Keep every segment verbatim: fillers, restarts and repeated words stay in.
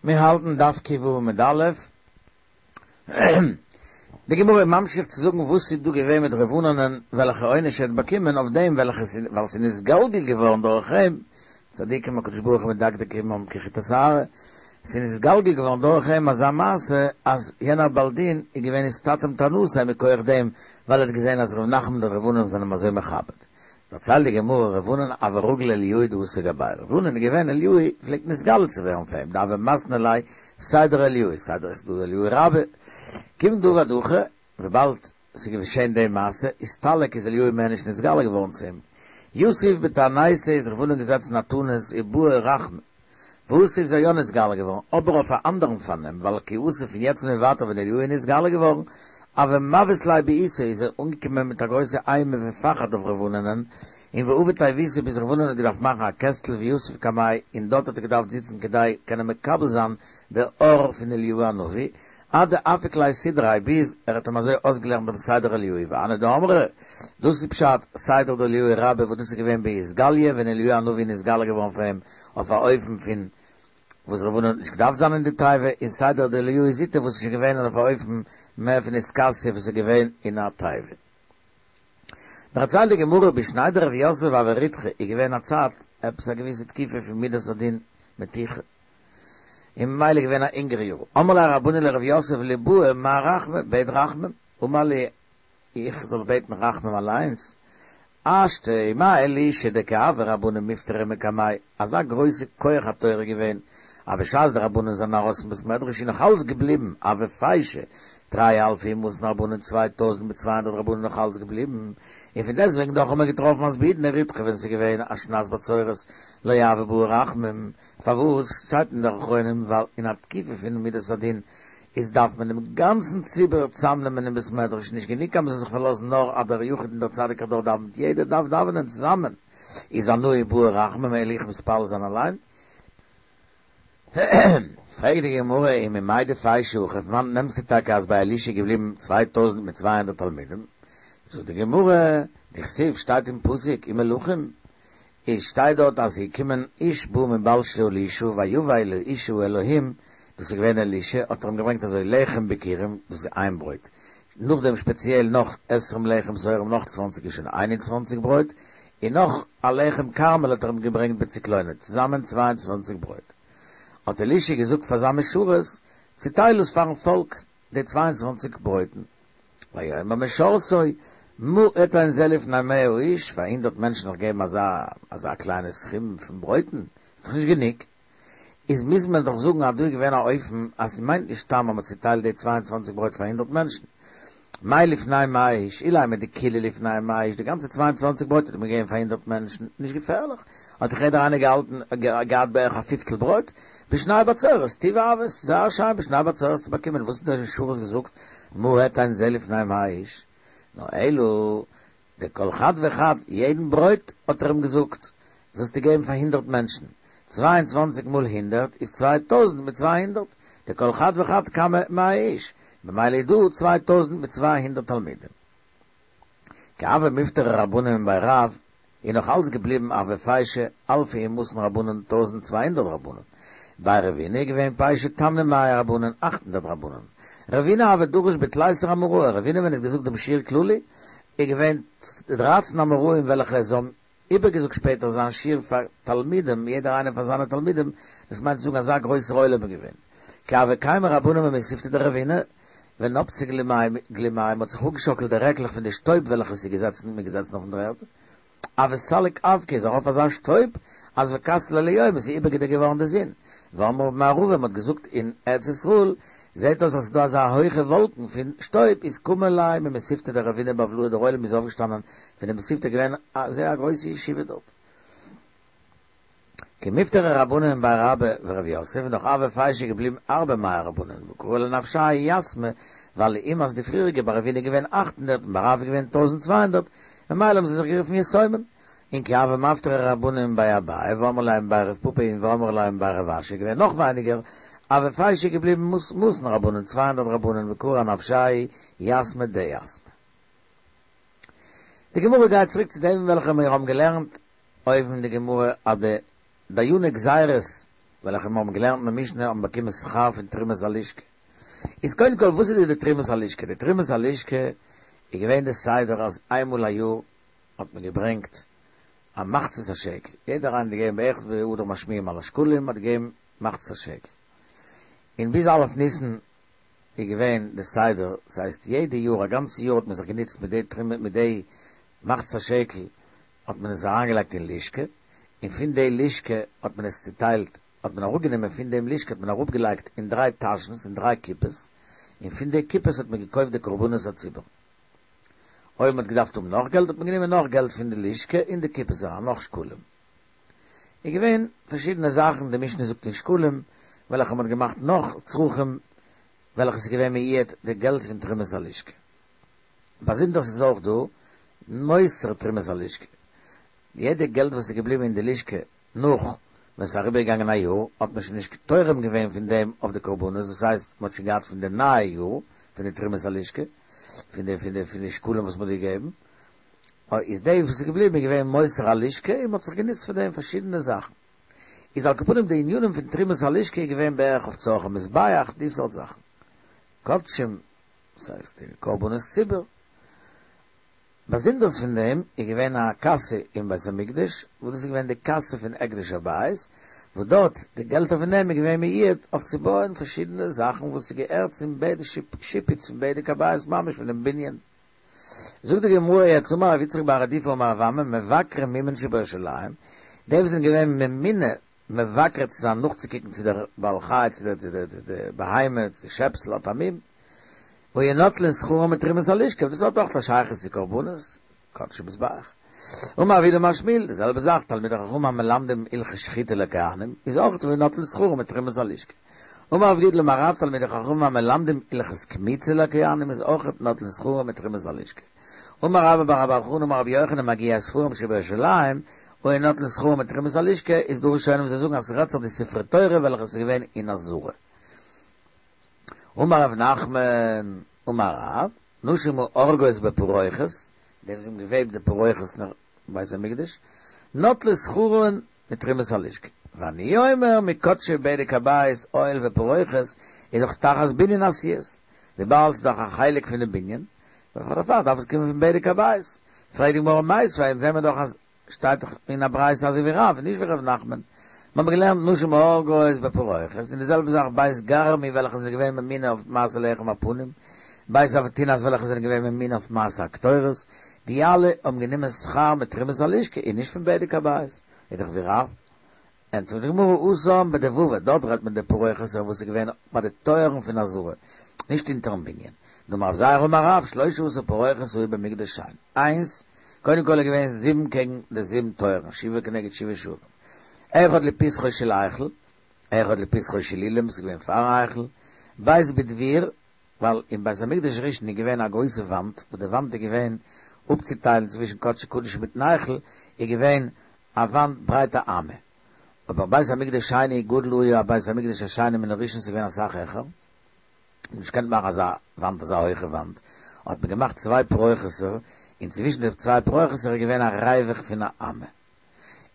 מיר האלטן דף ק"ו עמוד א', די גמרא איז ממשיך צו זאגן וואס איז דא געווען מיט ר' ענן'ען וועלכע עונש ער האט באקומען אויף דעם וועלכע ווייל ס'איז נתגלגל געווארן דורך אים, צדיקים הקדוש ברוך הוא מדקדק עמם כחוט השערה, ס'איז נתגלגל געווארן דורך אים אזא מעשה אז יענער בעל דין איז געווען אסתתם טענתיה מכח דעם ווייל ער האט געזען אז ר' נחמן און ר' ענן זענען אים אזוי מכבד. דערציילט די גמרא ר' ענן הוה רגיל אליהו דאתא גביה ר' ענן איז געווען אליהו פלעגט נתגלה צו ווערן פאר אים דהוה מתני ליה סדר אליהו סדר איז דא אליהו רבה כיון דעבד הכי וויבאלד ס'איז געשען די מעשה אסתלק איז אליהו מער נישט נתגלה געווארן צו אים יתיב בתעניתא איז ר' ענן געזעצן א תענית ובעי רחמי ואתא איז ער יא נתגלה געווארן, אבער אויף א אנדערן פארנעם, ווייל כי אתא פון יעצט און ווייטער ווען אליהו איז נתגלה געווארן, הוה מבעית ליה בעיתא איז ער אנגעקומען מיט א גרויסע אימה ופחד אויף ר' ענן'ען, און ועביד תיבותא ביז ר' ענן האט געדארפט מאכן א קעסטל ויתיב קמיה און דארט האט ער געדארפט זיצן כדי קענען מקבל זיין די אור פון אליהו הנביא, עד דאפיק ליה סדריה ביז ער האט אים אזוי אויסגעלערנט דעם סדר אליהו והני דאמרי, דאס איז פשט סדר דאליהו רבה וואס דאס איז געווען באתגליא ווען אליהו הנביא איז נתגלה געווארן פאר אים אויף א אופן פון וואס ר' ענן האט נישט געדארפט זיין אין די תיבה, און סדר דאליהו זוטא וואס איז שוין געווען אויף א אופן מער פון אתכסיא וואס איז געווען אין א תיבה. דערציילט די גמרא בשני דרב יוסף הוה ריתחא איז געווען א צייט עפעס א געוויסע תקופה פון מידת הדין מתיחה און ממילא געווען א הונגער יאר אמרו ליה רבנן לרב יוסף ליבעי מר רחמי בעט רחמים אמר להו איך זאל בעטן רחמים אליינס השתא עם אלישע דכי הוו רבנן מפטרי מקמיה אזא גרויסע כח התורה געווען אז בשעת די רבנן זענען ארויס פון בית מדרש איז נאך אלס געבליבן הוו פיישי תרי אלפי ומאתין רבנן צוויי טויזנט מיט צוויי הונדערט רבנן נאך אלס געבליבן און פון דעסטוועגן דאך האט מען געטראפן אז בעידנא ריתחא ווען ס'איז געווען א שנת בצורת לא הוו בעי רחמים פארוואס שטייט אין די אחרונים ווייל אין א תקופה פון מידת הדין איז דארף מען דעם גאנצן ציבור צאמנעמען אין בית מדרש נישט גענוג אז מ'זאל זיך פארלאזן נאר אז דער יחיד און דער צדיק הדור דאווענט יעדער דארף דאווענען צוזאמען איז אנא איבעי רחמים וועל איך מתפלל זיין אליין פרעגט די גמרא וממאי דפיישי הכא פון וואנעט נעמסטו טאקע אז ביי אלישע איז געבליבן צוויי טויזנט מיט צוויי הונדערט תלמידים זאגט די גמרא דכתיב שטייט אין פסוק אין מלכים איז שטייט דארט אז ס'איז געקומען איש בא מבעל שלושה ויבא אל איש האלהים דאס איז געווען אלישע האט ער אים געברענגט אזוי לחם ביכורים דאס איז איין ברויט נאכדעם שפעציעל נאך עשרים לחם שעורים נאך צוואנציג איז שוין איין און צוואנציג ברויט און נאך א לחם כרמל האט ער אים געברענגט בצקלונא צוזאמען צוויי און צוואנציג ברויט האט אלישע געזאגט פאר זיין משרת צוטייל עס פארן פאלק די צוויי און צוואנציג ברויטן ויאמר משרתו מה אתן זה לפני מאה איש, פאר הונדערט מענטשן נאך געבן אזא אזא קליינע סכום פון ברויטן, איז דאך נישט גענוג, איז מוז מען דאך זאגן אז דא איז געווען א אופן אז ס'מיינט נישט סתם אז מ'האט צוטיילט די צוויי און צוואַנציק ברויט פאר הונדערט מענטשן. מאי לפני מאה איש, אילימא דכולהו לפני מאה איש, די גאנצע צוויי און צוואַנציק ברויט האט מען געגעבן פאר הונדערט מענטשן, נישט געפערליך, האט זיך יעדער איינער געהאלטן געהאט בערך א פיפטל ברויט, בשני בצורת, טיבא הוה, זייער שיין בשני בצורת צו באקומען, וואס האט דער משרת געזאגט, מה אתן זה לפני מאה איש? נאר אלא דכל חד וחד, יעדן ברויט, האט ער אים געזאגט, זאלסטו געבן פאר הונדערט מענטשן, צוויי און צוואַנציק מאל הונדערט איז צוויי טויזנט מיט צוויי הונדערט, דכל חד וחד קמי מאה איש, ממילא איז דא צוויי טויזנט מיט צוויי הונדערט תלמידים. כי הוו מפטרי רבנן מבי רב, איז נאך אלץ געבליבן הוו פיישי אלפא ומאתין רבנן טויזנט צוויי הונדערט רבנן. בי רבינא איז געווען פיישי תמני מאה רבנן אַכט הונדערט רבנן. רבינא הוה דריש בתליסר אמוראי, רבינא ווען ער האט געזאגט דעם שיעור כללי, איז געווען דרײַצן אמוראים וועלכע זיי האבן איבערגעזאגט שפעטער זיין שיעור פאר תלמידים, יעדער איינער פאר זיינע תלמידים, דאס מיינט צו זאגן אזא גרויסער עולם איז געווען. כי הוו קיימי רבנן ממתיבתא דרבינא, ונפצי גלימייהו, מ'האט זיך אפגעשאקלט די רעקלעך פון די שטויב וועלכע ס'איז געזעצן, מ'איז געזעצן אויפן דר'ערד, הוה סליק אבקא איז ארויף אזא שטויב אז וכסי ליה ליומא איז איבערגעדעקט געווארן די זון, ואמרי במערבא מ'האט געזאגט אין ארץ ישראל זעהט אויס אז ס'איז דא אזא הויכע וואלקן פון שטויב איז קמו ליה ממתיבתא דרבינא בבלאי דער עולם איז אויפגעשטאנען פון די מתיבתא געווען א זייער א גרויסע ישיבה דארט. כי מפטרי רבנן מבי רבה ורב יוסף נאך הוו פיישי געבליבן ארבע מאה רבנן וקרו לנפשייהו יתמי ווייל לעומת די פריעריגע ביי רבינא געווען אַכט הונדערט און ביי רב געווען טויזנט צוויי הונדערט ממילא האבן זיי זיך גערופן יתומים און כי הוו מפטרי רבנן מבי אביי ואמרי לה מבי רב פפא און ואמרי לה מבי רב אשי געווען נאך ווייניגער הוו פיישי געבליבן מאתין רבנן צוויי הונדערט רבנן וקרו אנפשייהו יתמי דיתמי. די גמרא גייט צוריק צו דעם וועלכע מיר האבן געלערנט אויבן אין די גמרא אז די דייני גזירות וועלכע מיר האבן געלערנט אין משנה האבן באקומען שכר פון תרומת הלשכה. איז קודם כל וואס איז די תרומת הלשכה? די תרומת הלשכה איז געווען די סדר אז איינמאל א יאר האט מען געברענגט א מחצית השקל, יעדער איינער האט געגעבן בערך באחד משמיעים על השקלים האט געגעבן מחצית השקל, און ביז א' ניסן איז געווען די סדר, ס'הייסט יעדע יאר א גאנצע יאר האט מען זיך גענוצט מיט די תרומה מיט די מחצית השקל האט מען עס אריינגעלייגט אין לשכה, און פון די לשכה האט מען עס צוטיילט האט מען אראפגענומען פון דעם לשכה האט מען אראפגעלייגט אין דריי טאשנס אין דריי קופות, און פון די קופות האט מען געקויפט די קרבנות הציבור. אויב מען האט געדארפט האבן נאך געלט האט מען גענומען נאך געלט פון די לשכה אין די קופות אריין, נאך שקלים. איז געווען פארשידענע זאכן, די משנה זאגט אין שקלים, וועלכע מען האט געמאכט נאך צרכים, וועלכע איז געווען מיועד די געלט פון תרומת הלשכה. באזונדערס איז אויך דא מותר תרומת הלשכה. יעדע געלט וואס איז געבליבן אין די לשכה נאך ווען ס'איז אריבערגעגאנגען א יאר, האט מען שוין נישט תורם געווען פון דעם אויף די קרבנות, דאס הייסט מען האט שוין געהאט פון די נייע יאר, פון די תרומת הלשכה, פון די פון די פון די שקלים וואס מען האט געגעבן, איז די וואס איז געבליבן איז געווען מותר הלשכה און מען האט זיך גענוצט פון דעם פארשידענע זאכן. איז על כל פנים די ענינים פון תרומת הלשכה איז געווען בערך אויף צרכי מזבח, די סארט זאכן. קדשים, דאס הייסט די קרבנות ציבור. באזונדערס פון דעם איז געווען א קאסע אין בית המקדש, וואס דאס איז געווען די קאסע פון הקדש הבית, וואס דארט די געלטער פון דעם איז געווען מיועד אויף צו בויען פארשידענע זאכן וואס איז געהערט צום בית שיפוץ פון בדק הבית ממש פון דעם בנין. זאגט די גמרא יעצט אמר רב יצחק בר רדיפה אמר רב אמי מבקרי מומין שבירושלים, די וואס זענען געווען ממונה מבקר צו זיין נאכצוקוקן צו דער בעל חי צו דער צו דער בהמה צו די שעפסל האט א מום, היו נוטלין שכרן מתרומת הלשכה, דאס האט אויך א שייכות צו קרבנות, קדשי מזבח. אמר רב יהודה אמר שמואל, די זעלבע זאך, תלמידי חכמים המלמדים הלכות שחיטה לכהנים, איז אויך היו נוטלין שכרן מתרומת הלשכה. אמר רב גידל אמר רב, תלמידי חכמים המלמדים הלכות קמיצה לכהנים, איז אויך נוטלין שכרן מתרומת הלשכה. אמר רבה בר בר חנה אמר רבי יוחנן מגיהי ספרים שבירושלים, היו נוטלין שכרן מתרומת הלשכה, איז דא ראשונים וואס זאגן אז ס'רעדט זיך די ספרי תורה וועלכע איז געווען אין עזרה. אמר רב נחמן אמר רב, נשים האורגות בפרוכת, די וואס האבן געוועבט די פרוכת אין בית המקדש, נוטלות שכרן מתרומת הלשכה. ואני אומר מקדשי בדק הבית אוהל ופרוכת איז דאך תחת בנין עשויות, וויבאלד ס'איז דאך א חלק פון די בנין, דערפאר דארף עס קומען פון בדק הבית. פרעגט די גמרא מיתיבי, אונז זעמער דאך אז שטייט דאך אין א ברייתא אזוי ווי רב און נישט ווי ר' נחמן. מיר האבן געלערנט נשים האורגות בפרוכת, און די זעלבע זאך בית גרמו וועלכע זענען געווען ממונה אויף מעשה לחם הפנים, בית אבטינס וועלכע זענען געווען ממונה אויף מעשה הקטורת, די אלע האבן גענומען שכר מתרומת הלשכה און נישט פון בדק הבית, איז דאך ווי רב. ענטפערט די גמרא התם בדבבא, דארט רעדט מען די פרוכת וואס איז געווען ביי די טויערן פון עזרה, נישט אונטערן בנין. דאמר רב זירא אמר רב, שלשה עשר פרוכות היו במקדש שני, איינס, קודם כל איז געווען זיבן קעגן די זיבן טויערן, שבעה כנגד שבעה שערים, אחד לפתחו של היכל, אחד לפתחו של אולם, ס'איז געווען פארן היכל, בית בדביר, ווייל אין בית המקדש ראשון איז געווען א גרויסע וואנט, וואס די וואנט איז געווען אפצוטיילן צווישן קדשי קדשים מיטן היכל, איז געווען א וואנט ברייט א אמה. אבער בית המקדש שני גדול היה בית המקדש השני מן הראשון ס'איז געווען אסאך העכער, נישט געקענט מאכן אזא וואנט אזא הויכע וואנט, האט מען געמאכט צוויי פרוכת'ער, און צווישן די צוויי פרוכת'ער איז געווען א ריווח פון א אמה.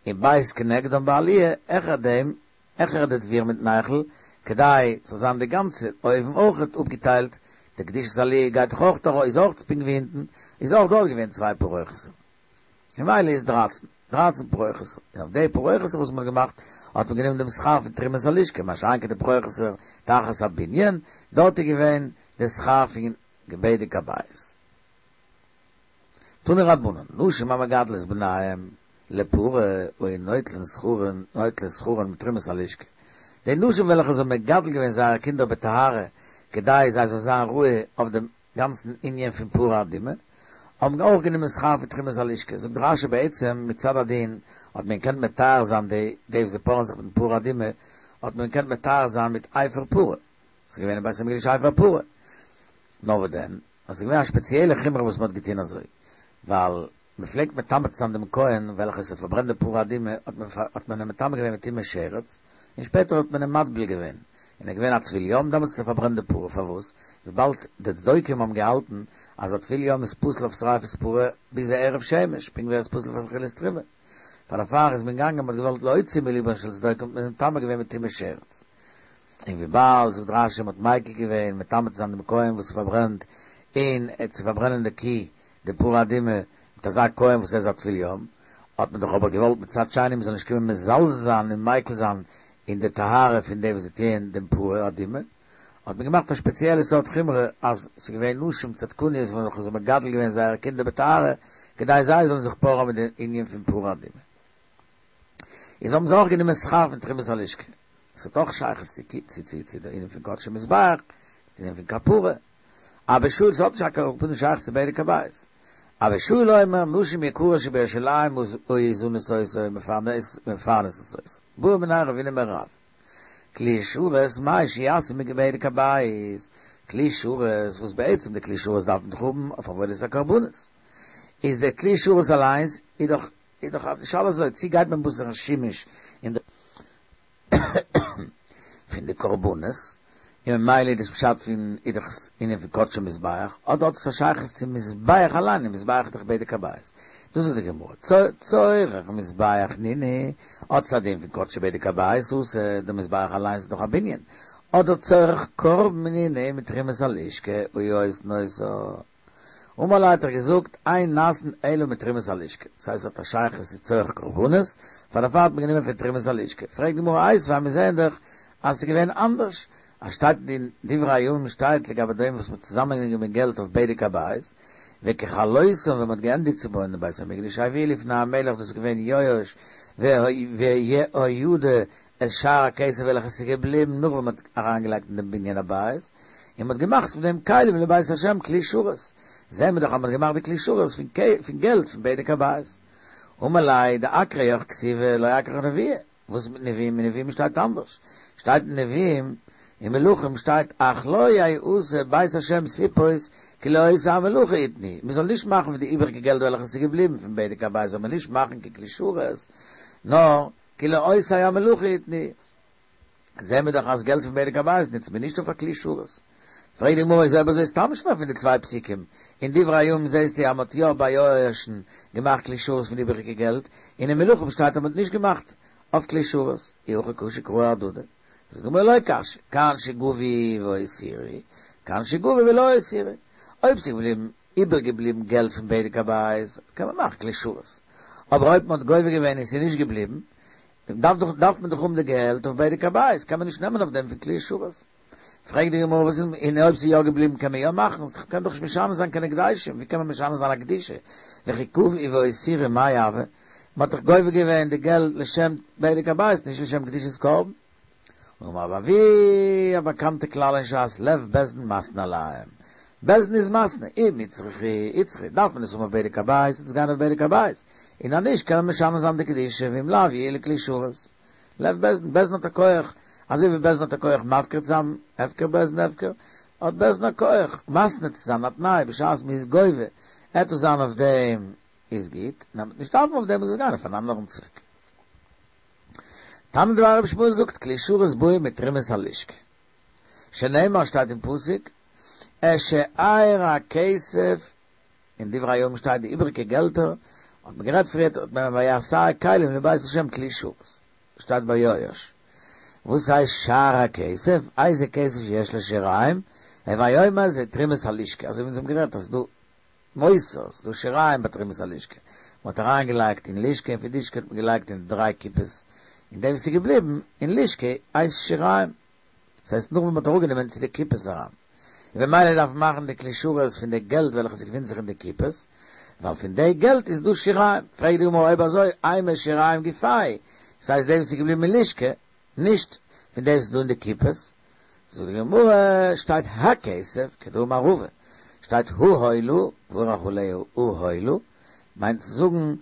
און בית כנגדם בעליה, העכער דעם, העכער די דביר מיטן היכל, כדי ס'זאל זיין די גאנצע אויבן אויכעט אפגעטיילט, די קדושת עליה גייט דאך אויך ארויף, איז אויך פונקט ווי אונטן, איז אויך דארט געווען צוויי פרוכת'ער. ממילא איז דרייצן, דרייצן פרוכת'ער, און אויף די פרוכת'ער וואס מ'האט געמאכט, האט מען גענומען דעם שכר פון תרומת הלשכה, מה שאין כן די פרוכת'ער תחת הבנין, דארט איז געווען די שכר פון בדק הבית. תנו רבנן, נשים המגדלות בניהם לפרה היו נוטלין שכרן, נוטלות שכרן מתרומת הלשכה. די נשים וועלכע זיי האבן מגדל געווען זייערע קינדער בטהרה, כדי זיי זאלן זיין ראוי אויף דעם גאנצן ענין פון פרה אדומה, האבן אויך גענומען שכר פון תרומת הלשכה. זאגט רשי בעצם מצד הדין האט מען געקענט מטהר זיין די די וואס זיי פארען זיך מיטן פרה אדומה, האט מען געקענט מטהר זיין מיט אפר פרה, ס'איז געווען אין בית המקדש אפר פרה. נאר וואס דען, אז ס'איז געווען א שפעציעלע חומרא וואס מ'האט געטון אזוי, ווייל מ'פלעגט מטמא צו זיין דעם כהן וועלכער עס האט פארברענט די פרה אדומה, האט מען האט מען אים מטמא געווען מיט טומאת שרץ, און שפעטער האט מען אים מטביל געווען, און ער איז געווען א טבול יום, דעמאלטס האט ער פארברענט די פרה, פארוואס? וויבאלד די צדוקים האבן געהאלטן אז א טבול יום איז פסול אויף שריפת פרה ביז הערב שמש, פונקט ווי ער איז פסול אויף אכילת תרומה. פאר דערפאר איז מען געגאנגען מ'האט געוואלט להוציא מליבן של צדוקים האט מען מטמא געווען מיט טומאת שרץ. און וויבאלד זאגט רשי מ'האט מיקל געווען מטמא צו זיין דעם כהן וואס פארברענט און צו פארברענען די קי די פרה אדומה מיט אזא כהן וואס ער איז א טבול יום, האט מען דאך אבער געוואלט מצד שני מ'זאל נישט קומען מזלזל זיין און מיקל זיין אין די טהרה פון די וואס זיי טוען דעם פרה אדומה, האט מען געמאכט א שפעציעלע סארט חומרא אז ס'איז געווען נשים צדקניות וועלכע האבן מגדל געווען זייערע קינדער בטהרה כדי זיי זאלן זיך פארען מיט די ענין פון פרה אדומה. איז האבן זיי אויך גענומען שכר פון תרומת הלשכה. עס האט אויך שייכות צו צו צו צו די ענין פון קדשי מזבח, צו די ענין פון כפרה. אבא שאול ס'האט נישט על כל פנים שייכות צו בדק הבית. אבא שאול אומר נשים יקרות שבירושלים היו זנות אותו ומפרנסות אותו. בעא מיניה רבינא מרב. כלי שרת מהו שיעשו מבדק הבית, כלי שרת וואס בעצם די כלי שרת דארף מען דאך האבן אויף עבודת הקרבנות, איז די כלי שרת אליינס איז דאך איז דאך די שאלה אזוי צי גייט מען בתר שימוש אין די פון די קרבנות, און ממילא איז דאס פשט פון איז דאך ענין פון קדשי מזבח, אדער האט עס א שייכות צום מזבח אליין, און מזבח איז דאך בדק הבית. דאס זאגט די גמרא, צורך מזבח נינהו, האט עס א דין פון קדשי בדק הבית אתא, די מזבח אליינס איז דאך א בנין, אדער צורך קרבן נינהו מתרומת הלשכה היו עושין אותה. אמר ליה האט ער געזאגט, אין נעשין אלא מתרומת הלשכה, דאס הייסט עס האט א שייכות צו צורך קרבנות, פאר דערפאר האט מען גענומען פון תרומת הלשכה. פרעגט די גמרא איתיביה, מיר זעען דאך אז עס איז געווען אנדערש, אז שטייט אין דברי הימים שטייט לגבי דעם וואס מען האט צוזאמענגענומען געלט אויף בדק הבית, וככלותם ווען מען האט געענדיגט צו בויען דעם בית המקדש הביאו לפני המלך דאס איז געווען יואש ויהוידע את שאר הכסף וועלכע עס איז געבליבן נאך ווען מען האט אריינגעלייגט אין דעם בנין הבית, און מען האט געמאכט פון דעם כלים לבית השם כלי שרת, זעהן מיר דאך אז מען האט געמאכט די כלי שרת פון געלט פון בדק הבית. אמר ליה דאכורייך כתיבי ולא אכורך נביאי, וואס איז מיט נביאים? אין נביאים שטייט אנדערש, שטייט אין נביאים אין מלכים שטייט אך לא יעשה בית השם ספות כי לעושי המלאכה יתנו, מען זאל נישט מאכן פון די איבעריגע געלט וועלכע עס איז געבליבן פון בדק הבית זאל מען נישט מאכן קיין כלי שרת, נאר כי לעושי המלאכה יתנו. זעהן מיר דאך אז געלט פון בדק הבית נוצט מען נישט אויף א כלי שרת. פרעגט די גמרא איז אויב אזוי סתם שנא פון די צוויי פסוקים, אין דברי הימים זעהסטו אז מען האט יא ביי יואש'ן געמאכט כלי שרת פון איבעריגע געלט, און אין מלכים שטייט אז מען האט נישט געמאכט אויף כלי שרת, אי הכי קשו קראי אהדדי. זאגט די גמרא לא קשיא, כאן שגבו והותירו, כאן שגבו ולא הותירו. אויב ס'איז געבליבן איבערגעבליבן געלט פון בדק הבית, קען מען מאכן כלי שרת. אבער אויב מ'האט גובה געווען און ס'איז נישט געבליבן, דארף דאך דארף מען דאך האבן די געלט אויף בדק הבית, קען מען נישט נעמען אויף דעם פון כלי שרת. פרעגט די גמרא וואס איז, און אויב ס'איז יא געבליבן קען מען יא מאכן, ס'קען דאך נישט משנה זיין קיין הקדשים, ווי קען מען משנה זיין א קדושה? וכי גבו והותירו מאי הוי? מ'האט דאך גובה געווען די געלט לשם בדק הבית, נישט לשם קדושת קרבן. אמר רב אבהו, א באקאנטע כלל אין שס, לב בית דין מתנה עליהם. בית דין איז מתנה, אם איצטריכו איצטריכו, דארף מען עס האבן אויף בדק הבית, וועט עס גיין אויף בדק הבית, און אז נישט קען מען משנה זיין די קדושה, ואם לאו יהיו לכלי שרת. לב בית דין, בית דין האט א כח, אזוי ווי בית דין האט א כח מפקיר צו זיין, הפקר בית דין הפקר, האט בית דין א כח מתנה צו זיין א תנאי בשעת מען איז גובה, עט עס זיין אויף דעם איז גוט, און אז מ'וועט נישט דארפן אויף דעם מוז עס גיין אויף אן אנדערן צוועק. תנא דבי רבי ישמעאל זאגט כלי שרת באים מתרומת הלשכה, שנאמר שטייט אין פסוק את שאר הכסף, אין דברי הימים שטייט די איבריגע געלטער, האט מען גערעדט פריערט האט מען ויעשו כלים לבית השם כלי שרת, שטייט ביי יואש, וואס הייסט שאר הכסף, איזה כסף שיש לו שיריים, הוי אומר זה תרומת הלשכה, אזוי ווי אונז האבן גערעדט אז ס'דא מותר, ס'דא שיריים ביי תרומת הלשכה, מ'האט אריין געלייגט אין לשכה און פון לשכה האט מען געלייגט אין די דריי קופות, און דעם וואס איז געבליבן אין לשכה הייסט שיריים, דאס הייסט נאך ווען מ'האט אראפגענומען צו די קופות אריין, און במילא דארף מען מאכן די כלי שרת פון די געלט וועלכע ס'געפינט זיך אין די קופות, ווייל פון די געלט איז דא שיריים, פרעגט די גמרא אויב אזוי אימא שיריים גופייהו, דאס הייסט דעם וואס איז געבליבן אין לשכה, נישט פון דעם וואס איז דא אין די קופות, זאגט די גמרא, שטייט הכסף, כדאמר רבא, שטייט העולה, מברך עליה העולה, מיינט צו זאגן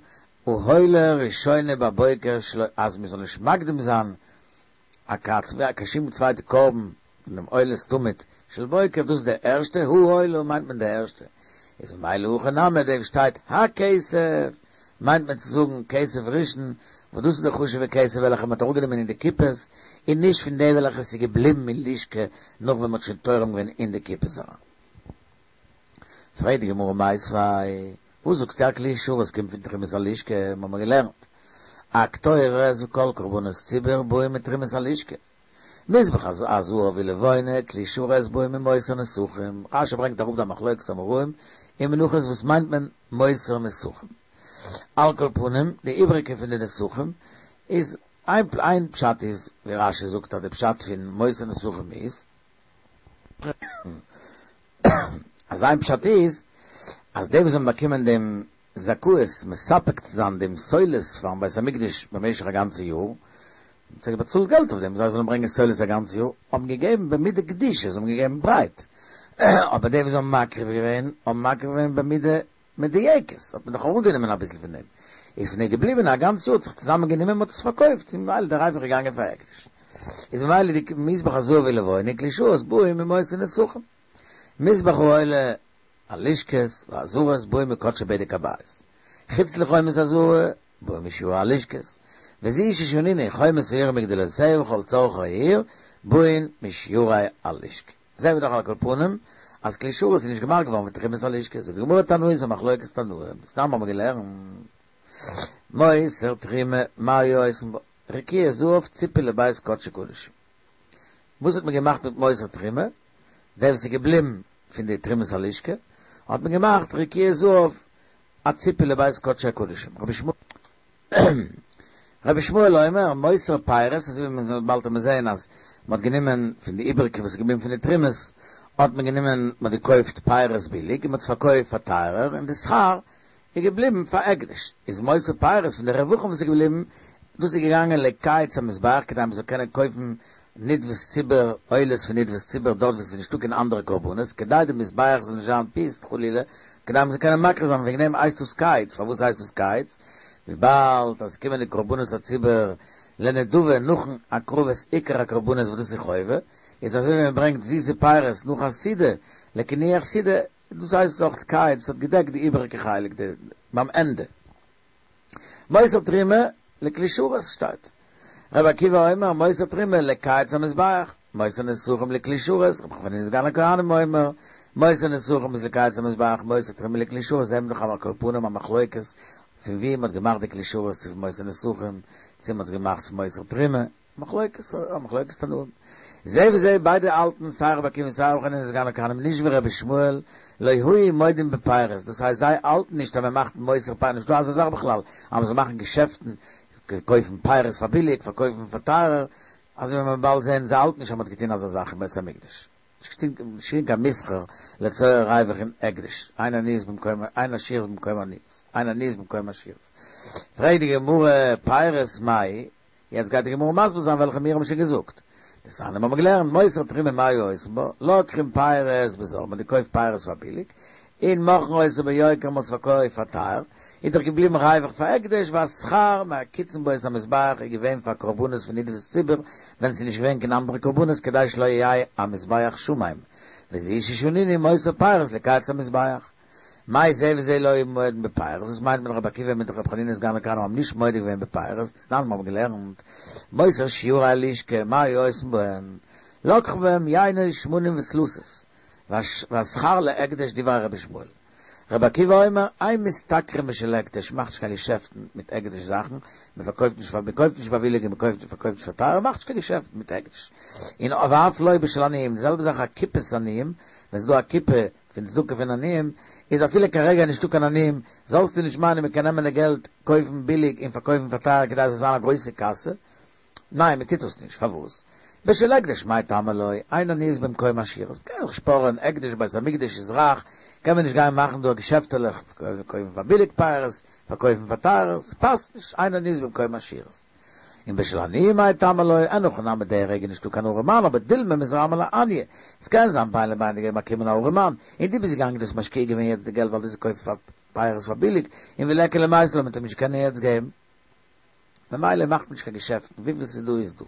העולה ראשונה בבוקר שלא אז מען זאל נישט מקדים זיין א קיין שום צווייטע קרבן פון דעם עולת תמיד של בוקר, דאס איז די ערשטע, העולה מיינט מען די ערשטע, איז ממילא הכא נמי דא שטייט הכסף מיינט מען צו זאגן כסף ראשון, וואס דאס איז די חשוב'ע כסף וועלכע מען האט אראפגענומען אין די קופות, און נישט פון די וועלכע עס איז געבליבן אין לשכה נאך ווען מען האט שוין תורם געווען אין די קופות אריין. פרעגט די גמרא מיתיבי, וואס זאגסטו א כלי שרת קומט פון תרומת הלשכה, מיר האבן געלערנט הקטורת וכל קרבנות ציבור באים מתרומת הלשכה. מזבח הזהב ולבונה, כלי שרת באים ממותר נסכים. רשי ברענגט אראפ די מחלוקת אמוראים אין מנחות וואס מיינט מען מותר נסכים. על כל פנים, די איבריגע פון די נסכים איז איין איין פשט איז ווי רשי זאגט אז די פשט פון מותר נסכים איז אז איין פשט איז אז די וואס האבן באקומען דעם זכאות מספק צו זיין דעם סולת פארן בית המקדש במשך א גאנצע יאר, מ'האט זיי באצאלט געלט אויף דעם זיי זאלן ברענגען סולת א גאנצע יאר, האבן געגעבן במידה גדישה, זיי האבן געגעבן ברייט, אבער די וואס האבן מקריב געווען, האבן מקריב געווען במידה מדויקת, האט מען דאך אראפגענומען אביסל פון דעם, איז פון דעם געבליבען א גאנץ יאר האט זיך צוזאמען גענומען מ'האט עס פארקויפט, און ממילא דער ריווח איז געגאנגען פאר הקדש. איז ממילא די מזבח הזהב ולבונה כלי שרת באים ממותר נסכים. מזבח העולה הלשכות והעזרות באים מקדשי בדק הבית. חוץ לחומת העזרה באים משיורי הלשכות. וזו ששנינו חומת העיר ומגדלותיה וכל צרכי העיר באים משיורי הלשכה. זעהן מיר דאך על כל פנים אז כלי שרת איז נישט געמאכט געווארן פון תרומת הלשכה. זאגט די גמרא תנאי ס'איז א מחלוקת תנאים. דתנן האבן מיר געלערנט מותר תרומה מה היו עושין בה רקיע זהב ציפוי לבית קדשי קדשים. וואס האט מען געמאכט מיט מותר תרומה? דער וואס איז געבליבן פון די תרומת הלשכה האט מען געמאכט רקיע זהב א ציפוי לבית קדשי הקדשים. רבי ישמעאל אומר, מותר פירות, אזוי ווי מען באלד וועט מען זעהן אז מען האט גענומען פון די איבעריגע וואס איז געבליבן פון די תרומות האט מען גענומען מען האט געקויפט פירות ביליג און מען האט עס פארקויפט פאר טייערער און די שכר איז געבליבן פאר הקדש, איז מותר פירות פון די רווחים וואס איז געבליבן דאס איז געגאנגען לקיץ המזבח כדי מען זאל קענען קויפן נדבת ציבור, עולות פון נדבת ציבור דארט וואו עס איז נישטא קיין אנדערע קרבנות, כדי די מזבח זאל נישט זיין פוסט חלילה, כדי מען זאל קענען מקריב זיין, וועגן דעם הייסט דאס קיץ, פארוואס הייסט דאס קיץ? וויבאלד אז עס קומען די קרבנות הציבור לנדבה נאכן הקרבת עיקר הקרבנות וואס דאס איז חובה, איז אזוי ווי מען ברענגט זיסע פירות נאך א סעודה, לקינוח סעודה, דאס הייסט אויך קיץ, עס האט געדעקט די איבעריגע חלק די ביים ענדע. מותר תרומה לכלי שרת שטייט. רבי עקיבא אומר מותר תרומה לקיץ המזבח, מותר נסכים לכלי שרת, רבי חנינא סגן הכהנים אומר מותר נסכים איז לקיץ המזבח, מותר תרומה לכלי שרת, זעהן מיר דאך על כל פנים א מחלוקת פון ווי מען האט געמאכט די כלי שרת צו פון מותר נסכים צו מען האט עס געמאכט פון מותר תרומה, מחלוקת א מחלוקת תנאים. זה וזה ביידע האלטן סיי רבי עקיבא און סיי רבי חנינא סגן הכהנים נישט ווי רבי ישמעאל לא היו מודים בפירות דאס הייסט זיי האלטן נישט אז מען מאכט מותר פירות נישטא אזא זאך בכלל אז מען זאל מאכן געשעפטן קויפן פירות פאר ביליג פארקויפן פאר טייערער אזוי ווי מען וועט באלד זעהן זיי האלטן נישט אז מען האט געטון אזא זאך אין בית המקדש נישט געטון קיין מסחר לצורך ריווח אין הקדש אין עניות במקום אין עשירות במקום עניות אין עניות במקום עשירות פרעגט די גמרא פירות מאי יעצט גייט די גמרא מסביר זיין וועלכע מיר האבן שוין געזאגט. דתנן האבן מיר געלערנט מותר תרומה מה היו עושין בה, לוקחים פירות בזול, מ'האט געקויפט פירות פאר ביליג, און מוכרין אותן ביוקר מ'האט עס פארקויפט פאר טייער, איז דאך געבליבן ריווח פאר הקדש והשכר מקיצין בו את המזבח איז געווען פאר קרבנות פון נדבת ציבור ווען ס'איז נישט געווען קיין אנדערע קרבנות כדי שלא יהא המזבח שמם, וזו ששנינו מותר פירות לקיץ המזבח. מאי זה וזה לא היו מודים בפירות, וואס מיינט מען רבי עקיבא מיט רבי חנינא סגן הכהנים האבן נישט מודה געווען בפירות, דתנן מיר האבן געלערנט מותר שיורי הלשכה מה היו עושין בהן, לקחו בהם יינות שמנים וסלתות, והשכר להקדש דברי רבי ישמעאל. רבי עקיבא אומר, אין משתכרים בשל הקדש, מאכט נישט קיין געשעפטן מיט הקדש זאכן, מען פארקויפט נישט פאר מען קויפט נישט פאר ביליג און מען קויפט פארקויפט נישט פאר טייער, מאכט נישט קיין געשעפטן מיט הקדש. און ואף לא בשל עניים, די זעלבע זאך א קופת עניים, ווען ס'איז דא א קופה פון צדקה פון עניים, איז אפילו כרגע נישטא קיין עניים, זאלסטו נישט מיינען מען קען נעמען די געלט קויפן ביליג און פארקויפן פאר טייער כדי עס זאל זיין א גרויסע קאסע, ניין מען טוט דאס נישט, פארוואס? בשל הקדש מאי טעמא לא, אין עניות במקום עשירות, מען קען זיך שפארען, הקדש בית המקדש איז רייך, קען מען נישט גיין מאכן דא געשעפטעלעך, קויפן פאר ביליג פירות, פארקויפן פאר טייער, ס'פאסט נישט, אין עניות במקום עשירות. און בשל עניים מאי טעמא לא, אין הכי נמי די רגע נישטא קיין ארעמאן אבער דילמא מתרמי ליה עניא, ס'קען זיין בין לבין די געלט באקומען א ארעמאן, און דו ביסט געגאנגען דו האסט משקיע געווען יעצט די געלט ווייל דו האסט געקויפט פאר פירות פאר ביליג, און וליכא למיתי ליה מ'וועט אים נישט קענען יעצט געבן. ממילא מאכט מען נישט קיין געשעפטן, וויפיל ס'איז דא איז דא.